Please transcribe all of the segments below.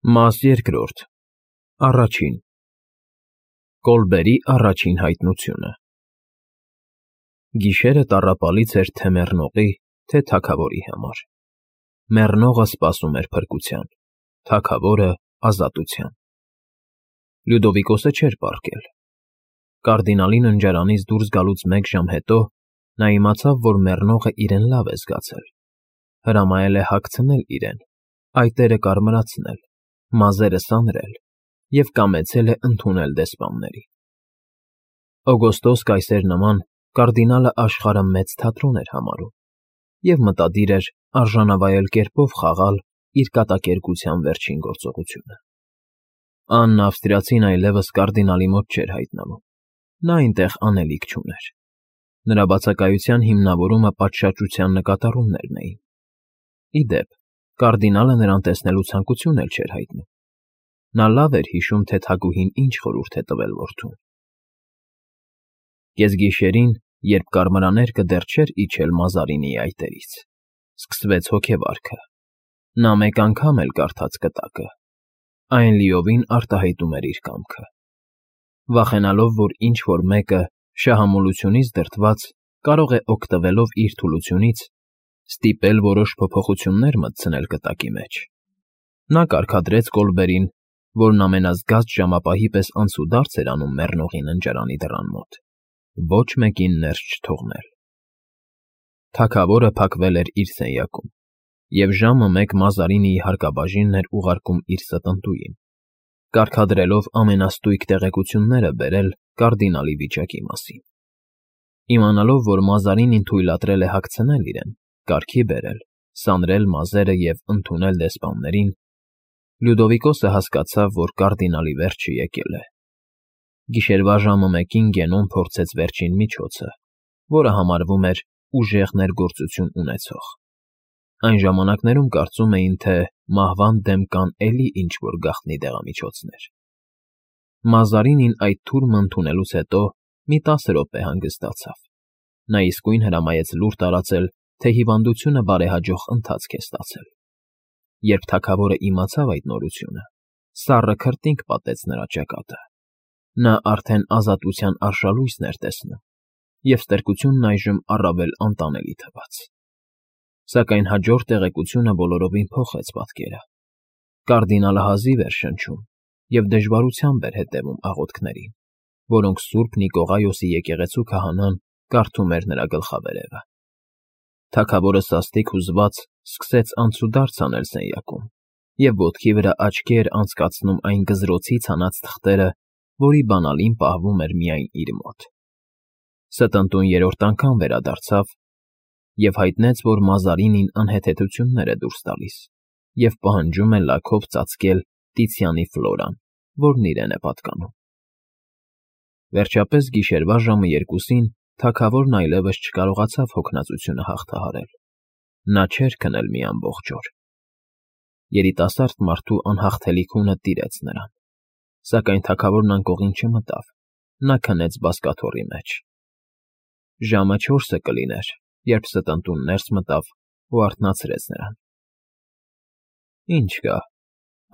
Մաս երկրորդ Առաջին Կոլբերի առաջին հայտնությունը Գիշերը տառապալից էր թե մեռնողի, թե թագավորի համար։ Մեռնողը սպասում էր փրկության, թագավորը՝ ազատության։ Լյուդովիկոսը չէր պառկել։ Կարդինալի ննջարանից դուրս գալուց մեկ ժամ հետո նա իմացավ, որ մեռնողը իրեն լավ է զգացել, հրամայել է հագցնել իրեն, այտերը կարմրացնել, մազերը սանրել և կամեցել է ընդունել դեսպանների։ Օգոստոս կայսեր նման կարդինալը աշխարհը մեծ թատրոն էր համարում և մտադիր էր արժանավայել կերպով խաղալ իր կատակերգության վերջին գործողությունը։ Անն Ավստրիացին այլևս կարդինալի մոտ չէր հայտնվում, նա այնտեղ անելիք չուներ։ Նրա բացակայության հիմնավորումը պատշաճության նկատառումներն էին։ Ի դեպ, կարդինալը նրան տեսնելու ցանկություն էլ չէր հայտնում։ Նա լավ էր հիշում, թե թագուհին ինչ խորհուրդ է տվել որդուն։ Կեսգիշերին, երբ կարմրաներկը դեռ չէր իջել Մազարինիի այտերից, սկսվեց հոգեվարքը։ Նա մեկ անգամ էլ կարդաց կտակը, այն լիովին արտահայտում էր իր կամքը։ Վախենալով, որ ինչ֊որ մեկը, շահամոլությունից դրդված, կարող է օգտվելով իր թուլությունից, ստիպել որոշ փոփոխություններ մտցնել կտակի մեջ, նա կարգադրեց Կոլբերին, որն ամենազգաստ ժամապահի պես անցուդարձ էր անում մեռնողի ննջարանի դռան մոտ, ոչ մեկին ներս չթողնել։ Թագավորը փակվել էր իր սենյակում, և ժամը 1 Մազարինիի հարկաբաժինն էր ուղարկում իր ստընտուին, կարգադրելով ամենաստույգ տեղեկությունները բերել կարդինալի վիճակի մասին։ Իմանալով, որ Մազարինին թույլատրել է հագցնել իրեն, կարգի բերել, սանրել մազերը և ընդունել դեսպաններին, Լյուդովիկոսը հասկացավ, որ կարդինալի վերջը եկել է։ Գիշերվա ժամը 1-ին Գենոն փորձեց վերջին միջոցը, որը համարվում էր ուժեղ ներգործություն ունեցող։ Այն ժամանակներում կարծում էին, թե մահվան դեմ կան էլի ինչ֊որ գաղտնի դեղամիջոցներ։ Մազարինին այդ թուրմը ընդունելուց հետո մի 10 րոպե հանգստացավ։ Նա իսկույն հրամայեց լուր տարածել, թե հիվանդությունը բարեհաջող ընթացք է ստացել։ Երբ թագավորը իմացավ այդ նորությունը, սառը քրտինք պատեց նրա ճակատը։ Նա արդեն ազատության արշալույսն էր տեսնում, և ստրկությունն այժմ առավել անտանելի թվաց։ Սակայն հաջորդ տեղեկությունը բոլորովին փոխեց պատկերը։ Կարդինալը հազիվ էր շնչում և դժվարությամբ էր հետևում աղոթքներին, որոնք Սուրբ Նիկողայոսի եկեղեցու քահանան կարդում էր նրա գլխավերևը։ Թագավորը սաստիկ հուզված սկսեց անցուդարձ անել սենյակում և ոտքի վրա աչքի էր անցկացնում այն գզրոցից հանած թղթերը, որի բանալին պահվում էր միայն իր մոտ։ Ստընտուն երրորդ անգամ վերադարձավ և հայտնեց, որ Մազարինին անհեթեթություններ է դուրս տալիս և պահանջում է լաքով ծածկել Տիցիանի Ֆլորան, որն իրեն է պատկանում։ Վերջապես գիշերվա ժամը 2-ին թագավորն այլևս չկարողացավ հոգնածությունը հաղթահարել։ Նա չէր քնել մի ամբողջ օր։ Երիտասարդ մարդու անհաղթելի քունը տիրեց նրան, սակայն թագավորն անկողին չմտավ, նա քնեց բազկաթոռի մեջ։ Ժամը 4-ը կլիներ, երբ ստընտուն ներս մտավ ու արթնացրեց նրան։ «Ինչ կա»,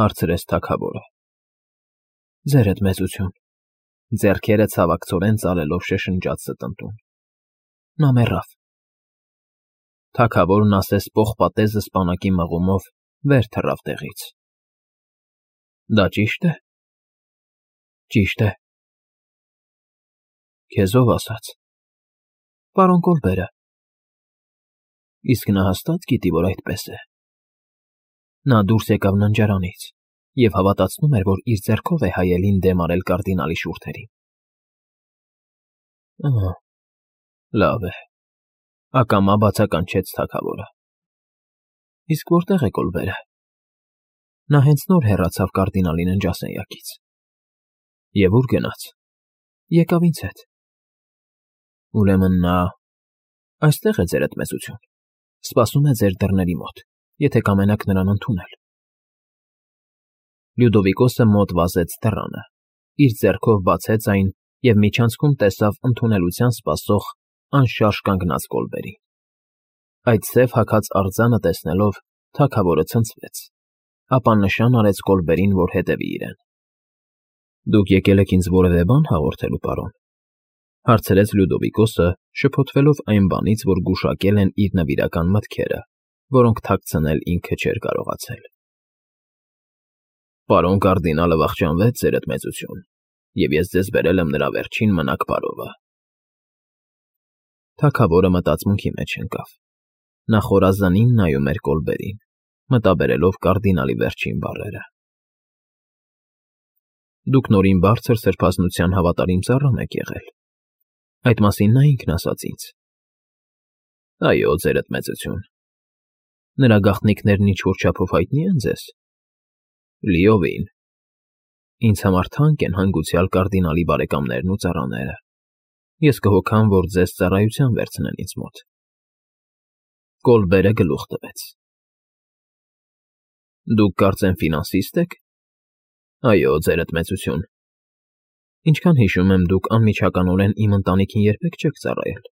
հարցրեց թագավորը։ «Ձերդ մեծություն», ձեռքերը ցավակցորեն ծալելով շշնջաց ստընտուն։ «Նա մեռավ»։ Թագավորն ասես պողպատեզը սպանակի մղումով վեր թռավ տեղից։ «Դա ճի՞շտ է»։ «Ճիշտ է»։ «Քեզ ով ասաց»։ «Պարոն Կոլբերը»։ «Իսկ նա հաստա՞տ գիտի, որ այդպես է»։ Նա դուրս եկավ ննջարանից և հավատացնում էր, որ իր ձեռքով է հայելին դեմ արել կարդինալի շուրթերին։ «Ահա, լավ է», ակամա բացականչեց թագավորը։ «Իսկ որտե՞ղ է Կոլբերը»։ Նա հենց նոր հեռացավ կարդինալի ննջասենյակից։ «Եվ ուր գնաց»։ «Եկավ ինձ հետ»։ «Ուրեմն նա… այստեղ է, ձերդ մեծություն, սպասում է ձեր դռների մոտ, եթե կամենաք նրան ընդունել»։ Լյուդովիկոսը մոտ վազեց դռանը, իր ձեռքով բացեց այն և միջանցքում տեսավ ընդունելության սպասող անշարժ կանգնած Կոլբերին։ Այդ սև հագած արձանը տեսնելով՝ թագավորը ցնցվեց, ապա նշան արեց Կոլբերին, որ հետևի իրեն։ Դուք եկել եք ինձ որևէ բան հաղորդելու, պարոն, հարցրեց Լյուդովիկոսը, շփոթվելով այն բանից, որ գուշակել են իր նվիրական մտքերը, որոնք թաքցնել ինքը չէր կարողացել։ Պարոն կարդինալը վախճանվեց, ձերդ մեծություն, և ես ձեզ բերել եմ նրա վերջին մնաք բարովը։ Թագավորը մտածմունքի մեջ ընկավ։ Նա խորազանին նայում էր Կոլբերին, մտաբերելով կարդինալի վերջին բառերը։ Դուք նորին բարձր սրբազնության հավատարիմ ծառան եք եղել։ Այդ մասին նա ինքն ասաց ինձ։ Այո, ձերդ մեծություն։ Նրա գաղտնիքներն ինչ-որ չափով հայտնի են ձեզ։ Լիովին։ Ինձ համար թանկ են հանգուցյալ կարդինալի բարեկամներն ու ծառաները։ Ես կհոգամ, որ ձեզ ծառայության վերցնեն ինձ մոտ։ Կոլբերը գլուխ տվեց։ Դուք կարծեմ ֆինանսիստ եք։ Այո, ձերդ մեծություն։ Ինչքան հիշում եմ, դուք անմիջականորեն իմ ընտանիքին երբեք չեք ծառայել։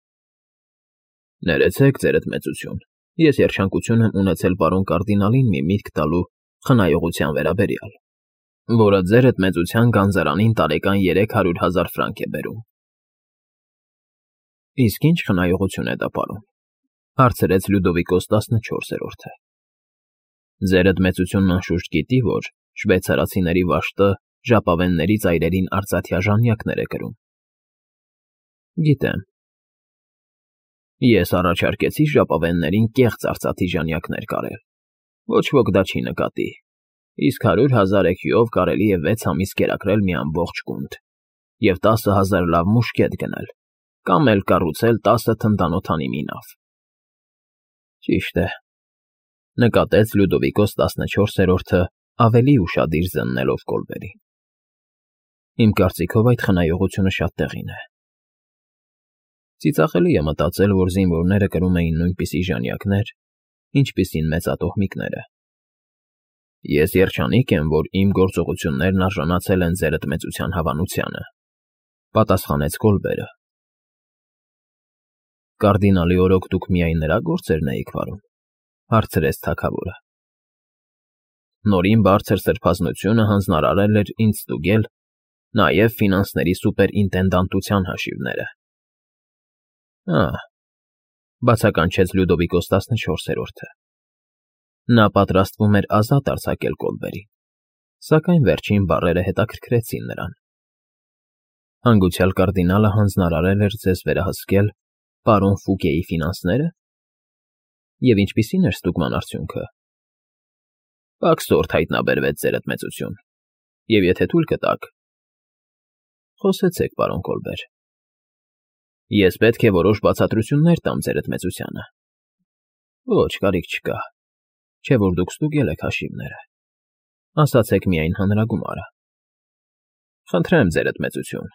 Ներեցեք, ձերդ մեծություն։ Ես երջանկություն եմ ունեցել պարոն կարդինալին մի միտք տալու խնայողության վերաբերյալ, որը ձերդ մեծության գանձարանին տարեկան 300,000 ֆրանկ է բերում։ Իսկ ինչ խնայողություն է դա, պարոն, հարցրեց Լյուդովիկոս 14-րդը։ Ձերդ մեծությունն անշուշտ գիտի, որ շվեյցարացիների վաշտը ժապավենների ծայրերին արծաթյա ժանյակներ է կրում։ Գիտեմ։ Ես առաջարկեցի ժապավեններին կեղծ արծաթի ժանյակներ կարել։ Ոչ ոք դա չի նկատի, իսկ 100,000 էքյուով կարելի է 6 ամիս կերակրել մի ամբողջ գունդ և 10,000 լավ մուշկետ գնել, կամ էլ կառուցել 10 թնդանոթանի մի նավ։ Ճիշտ է, նկատեց Լյուդովիկոս 14-րդը ավելի ուշադիր զննելով Կոլբերին։ Իմ կարծիքով այդ խնայողությունը շատ տեղին է։ Ծիծաղելի է մտածել, որ զինվորները կրում էին նույնպիսի ժանյակներ, ինչպիսին մեծատոհմիկները։ Ես երջանիկ եմ, որ իմ գործողություններն արժանացել են ձերդ մեծության հավանությանը, պատասխանեց Կոլբերը։ Կարդինալի օրոք դուք միայն նրա գործերն էիք վարում, հարցրեց թագավորը։ Նորին բարձր սրբազնությունը հանձնարարել էր ինձ ստուգել նաև ֆինանսների սուպերինտենդանտության հաշիվները։ Բացականչեց Լյուդովիկոս 14-րդը։ Նա պատրաստվում էր ազատ արձակել Կոլբերին, սակայն վերջին բառերը հետաքրքրեցին նրան։ Հանգուցյալ կարդինալը հանձնարարել էր ձեզ վերահսկել պարոն Ֆուկեի ֆինանսները։ Եվ ինչպիսին էր ստուգման արդյունքը։ Պակսորդ հայտնաբերվեց ձերդ մեծություն, և եթե թույլ կտաք։ Խոսեցեք, պարոն Կոլբեր։ Ես պետք է որոշ բացատրություններ տամ ձերդ մեծությանը։ Ոչ, կարիք չկա, չէ որ դուք ստուգել եք հաշիվները։ Ասացեք միայն հանրագումարը։ Խնդրեմ, ձերդ մեծություն,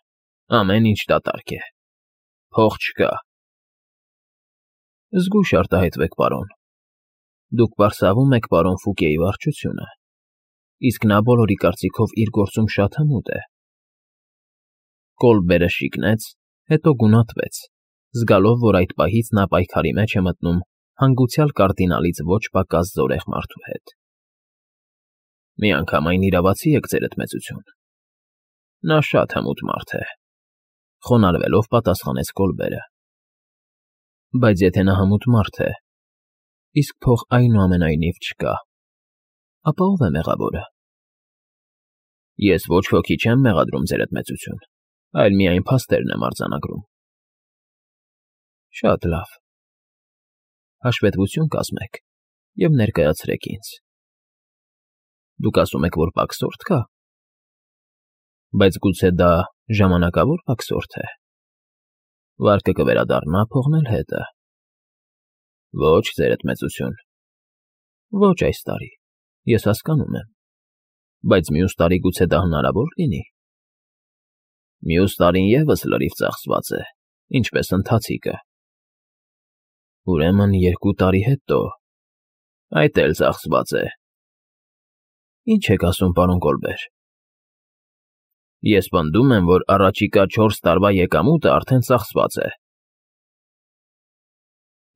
ամեն ինչ դատարկ է։ Փող չկա։ Զգույշ արտահայտվեք, պարոն։ Դուք պարսավում եք պարոն Ֆուկեի վարչությունը, իսկ նա բոլորի կարծիքով իր գործում շատ հմուտ է։ Կոլբերը շիկնեց, հետո գունատվեց, զգալով, որ այդ պահից նա պայքարի մեջ է մտնում հանգուցյալ կարդինալից ոչ պակաս զորեղ մարդու հետ։ Միանգամայն իրավացի եք, ձերդ մեծություն։ Նա շատ հմուտ մարդ է, խոնարհվելով պատասխանեց Կոլբերը։ Բայց եթե նա հմուտ մարդ է, իսկ փող այնուամենայնիվ չկա, ապա ով է մեղավորը։ Ես ոչ ոքի չեմ մեղադրում, ձերդ մեծություն, այլ միայն փաստերն եմ արձանագրում։ Շատ լավ։ Հաշվետվություն կազմեք և ներկայացրեք ինձ։ Դուք ասում եք, որ պակսորդ կա։ Բայց գուցե դա ժամանակավոր պակսորդ է։ Վարկը կվերադառնա, փողն էլ հետը։ Ոչ, ձերդ մեծություն։ Ոչ այս տարի, ես հասկանում եմ։ Բայց մյուս տարի գուցե դա հնարավոր լինի։ Մյուս տարին ևս լրիվ ծախսված է, ինչպես ընթացիկը։ Ուրեմն 2 տարի հետո, այդ էլ ծախսված է։ Ինչ եք ասում, պարոն Կոլբեր։ Ես պնդում եմ, որ առաջիկա 4 տարվա եկամուտը արդեն ծախսված է։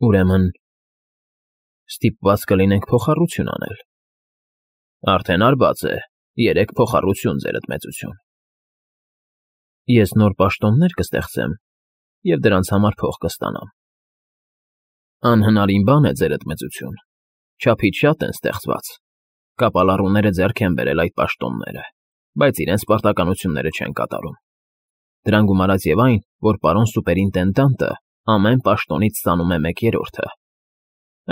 Ուրեմն ստիպված կլինենք փոխառություն անել։ Արդեն արված է, 3 փոխառություն, ձերդ մեծություն։ Ես նոր պաշտոններ կստեղծեմ և դրանց համար փող կստանամ։ Անհնարին բան է, ձերդ մեծություն, չափից շատ են ստեղծված, կապալառուները ձեռք են բերել այդ պաշտոնները, բայց իրենց պարտականությունները չեն կատարում։ Դրան գումարած և այն, որ պարոն սուպերինտենդանտը ամեն պաշտոնից ստանում է 1/3-ը,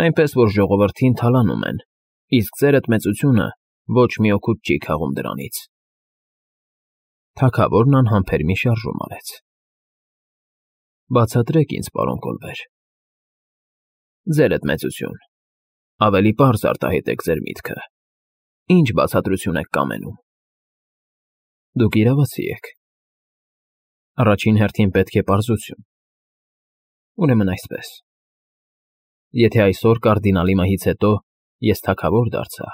այնպես որ ժողովրդին թալանում են, իսկ ձերդ մեծությունը ոչ մի օգուտ չի քաղում դրանից։ Թագավորն անհամբեր մի շարժում արեց։ Բացատրեք ինձ, պարոն Կոլբեր։ Ձերդ մեծություն, ավելի պարզ արտահայտեք ձեր միտքը։ Ինչ բացատրություն եք կամենում։ Դուք իրավացի եք։ Առաջին հերթին պետք է պարզություն։ Ուրեմն այսպես. Եթե այսօր կարդինալի մահից հետո ես թագավոր դարձա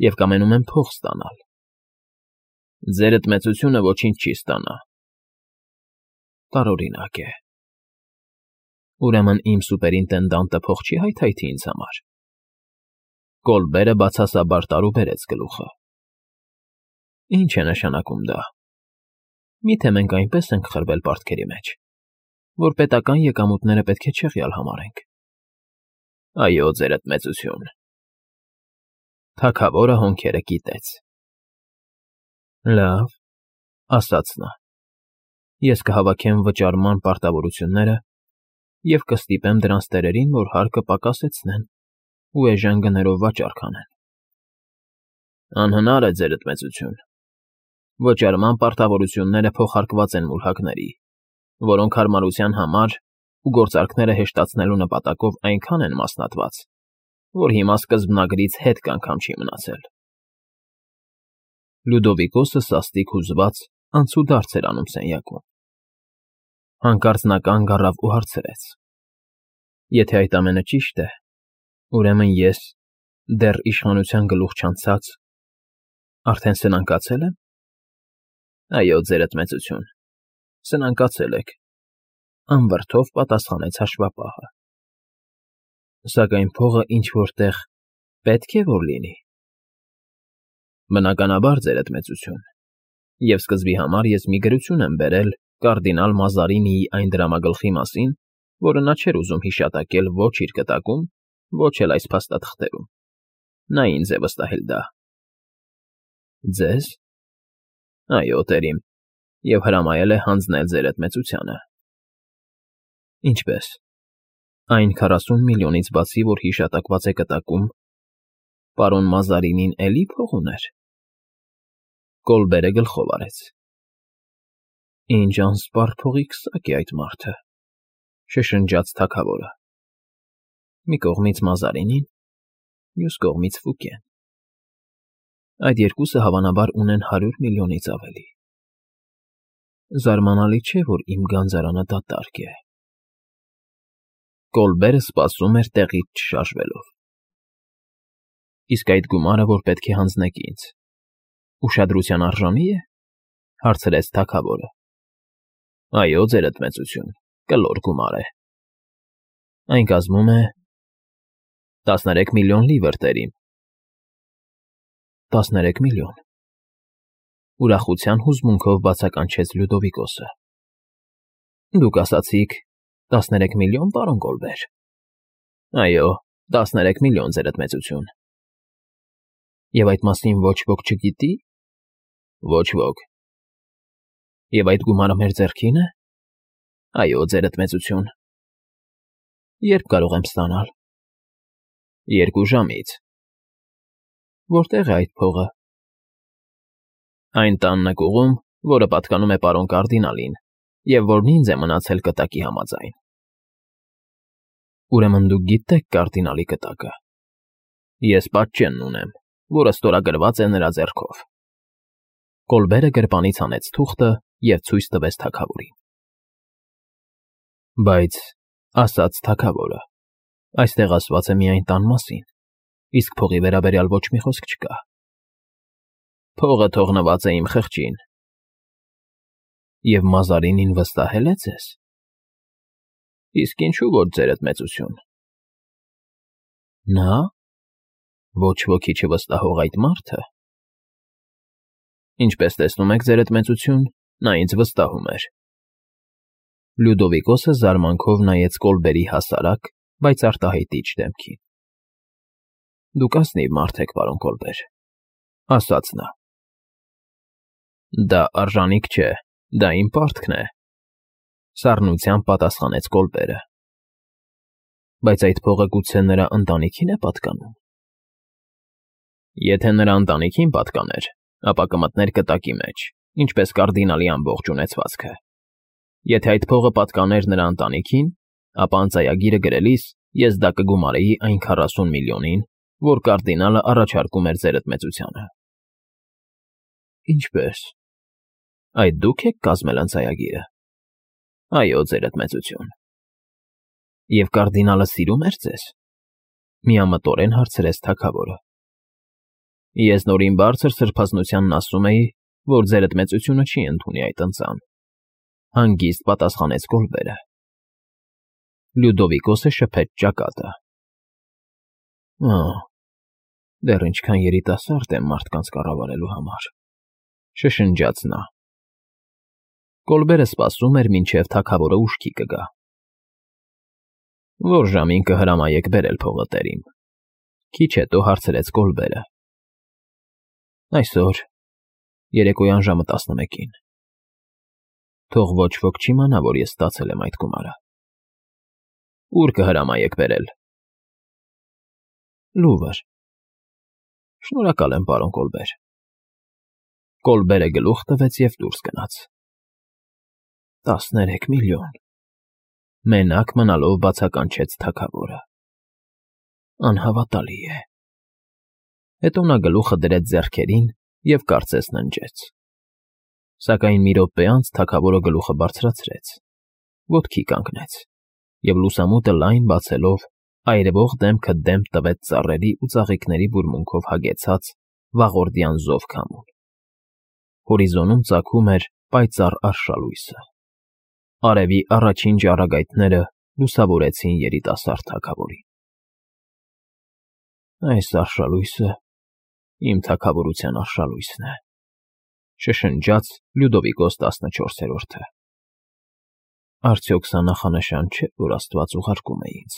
և կամենում եմ փող ստանալ, ձերդ մեծությունը ոչինչ չի ստանա։ Տարօրինակ է։ Ուրեմն իմ սուպերինտենդանտը փող չի հայթայթի ինձ համար։ Կոլբերը բացասաբար տարուբերեց գլուխը։ Ինչ է նշանակում դա։ Միթե մենք այնպես ենք խրվել պարտքերի մեջ, որ պետական եկամուտները պետք է չեղյալ համարենք։ Այո, ձերդ մեծություն։ Թագավորը հոնքերը կիտեց։ Լավ, ասաց նա։ Ես կհավաքեմ վճարման պարտավորությունները և կստիպեմ դրանց տերերին, որ հարկը պակասեցնեն ու էժան գներով վաճառ կանեն։ Անհնար է, ձերդ մեծություն։ Վճարման պարտավորությունները փոխարկված են մուրհակների, որոնք հարմարության համար ու գործարքները հեշտացնելու նպատակով այնքան են մասնատված, որ հիմա սկզբնագրից հետք անգամ չի մնացել։ Լյուդովիկոսը սաստիկ հուզված անցուդարձ էր անում սենյակում։ Հանկարծ նա կանգ առավ ու հարցրեց. Եթե այդ ամենը ճիշտ է, ուրեմն ես, դեռ իշխանության գլուխ չանցած, արդեն սնանկացել եմ։ Այո, ձերդ մեծություն, սնանկացել եք, անվրդով պատասխանեց հաշվապահը։ Սակայն փողը ինչ-որ տեղ պետք է որ լինի։ Բնականաբար, ձերդ մեծություն, և սկզբի համար ես մի գրություն եմ բերել կարդինալ Մազարինիի այն դրամագլխի մասին, որը նա չէր ուզում հիշատակել ոչ իր կտակում, ոչ էլ այս փաստաթղթերում։ Նա ինձ է վստահել դա։ Ձեզ։ Այո, տերիմ, և հրամայել է հանձնել ձերդ մեծությանը։ Ինչպես։ Այն 40 միլիոնից բացի, որ հիշատակված է կտակում, պարոն Մազարինին էլի փող ուներ։ Կոլբերը գլխով արեց։ Ինչ անսպառ փողի քսակ է այդ մարդը, շշնջաց թագավորը։ Մի կողմից Մազարինին, մյուս կողմից Ֆուկեն։ Այդ երկուսը հավանաբար ունեն 100 միլիոնից ավելի։ Զարմանալի չէ, որ իմ գանձարանը դատարկ է։ Կոլբերը սպասում էր տեղից չշարժվելով։ Իսկ այդ գումարը, որ պետք է հանձնեք ինձ, ուշադրության արժանի է, հարցրեց թագավորը։ Այո, ձերդ մեծություն, կլոր գումար է։ Այն կազմում է 13 միլիոն լիվր, տերիմ։ 13 միլիոն։ Ուրախության հուզմունքով բացականչեց Լյուդովիկոսը։ Դուք ասացիք 13 միլիոն, պարոն Կոլբեր։ Այո, 13 միլիոն, ձերդ մեծություն։ Եվ այդ մասին ոչ ոք չգիտի։ Ոչ ոք։ Եվ այդ գումարը մեր ձեռքին է։ Այո, ձերդ մեծություն։ Երբ կարող եմ ստանալ։ 2 ժամից։ Որտեղ է այդ փողը։ Այն տան նկուղում, որը պատկանում է պարոն կարդինալին, և որն ինձ է մնացել կտակի համաձայն։ Ուրեմն դուք գիտեք կարդինալի կտակը։ Ես պատճենն ունեմ, որը ստորագրված է նրա ձեռքով։ Կոլբերը գրպանից հանեց թուղթը և ցույց տվեց թագավորին։ Բայց, ասաց թագավորը, այստեղ ասված է միայն տան մասին, իսկ փողի վերաբերյալ ոչ մի խոսք չկա։ Փողը թողնված է իմ խղճին։ Եվ Մազարինին վստահել է ձեզ։ Իսկ ինչու որ, ձերդ մեծություն։ Նա։ Ոչ ոքի չվստահող այդ մարդը… Ինչպես տեսնում եք, ձերդ մեծություն, նա ինձ վստահում էր… Լյուդովիկոսը զարմանքով նայեց Կոլբերի հասարակ, բայց արտահայտիչ դեմքին։ Դուք ազնիվ մարդ եք, պարոն Կոլբեր, ասաց նա։ Դա արժանիք չէ, դա իմ պարտքն է, սառնությամբ պատասխանեց Կոլբերը։ Բայց այդ փողը գուցե նրա ընտանիքի՞ն է պատկանում։ Եթե նրա ընտանիքին պատկաներ, ապա կմտներ կտակի մեջ, ինչպես կարդինալի ամբողջ ունեցվածքը։ Եթե այդ փողը պատկաներ նրա ընտանիքին, ապա ընծայագիրը գրելիս ես դա կգումարեի այն 40 միլիոնին, որ կարդինալը առաջարկում էր ձերդ մեծությանը։ Ինչպե՞ս։ Այդ դուք եք կազմել ընծայագիրը։ Այո, ձերդ մեծություն։ Եվ կարդինալը սիրում էր ձեզ։ Միամտորեն հարցրեց թագավորը։ Ես նորին բարձր սրբազնությանն ասում էի, որ ձերդ մեծությունը չի ընդունի այդ ընծան, հանգիստ պատասխանեց Կոլբերը։ Լյուդովիկոսը շփեց ճակատը։ Դեռ ինչքան երիտասարդ եմ մարդկանց կառավարելու համար, շշնջաց նա։ Կոլբերը սպասում էր, մինչև թագավորը ուշքի կգա։ Որ ժամին կհրամայեք բերել փողը տերիմ, քիչ հետո հարցրեց Կոլբերը։ Այսօր, երեկոյան ժամը 11-ին։ Թող ոչ ոք չիմանա, որ ես ստացել եմ այդ գումարը։ Ուր կհրամայեք բերել։ Լուվր։ Շնորհակալ եմ, պարոն Կոլբեր։ Կոլբերը գլուխ տվեց և դուրս գնաց։ 13 միլիոն… Մենակ մնալով բացականչեց թագավորը։ Անհավատալի է։ Հետո նա գլուխը դրեց ձեռքերին և կարծես ննջեց։ Սակայն մի րոպե անց թագավորը գլուխը բարձրացրեց, ոտքի կանգնեց և լուսամուտը լայն բացելով այրվող դեմքը դեմք տվեց ծառերի ու ծաղիկների բուրմունքով հագեցած վաղորդյան զով քամուն։ Հորիզոնում ծագում էր պայծառ արշալույսը։ Արևի առաջին ճառագայթները լուսավորեցին երիտասարդ թագավորին։ Այս արշալույսը իմ թագավորության արշալույսն է, շշնջաց Լյուդովիկոս 14-րդը։ Արդյոք սա նախանշան չէ, որ Աստված ուղարկում է ինձ։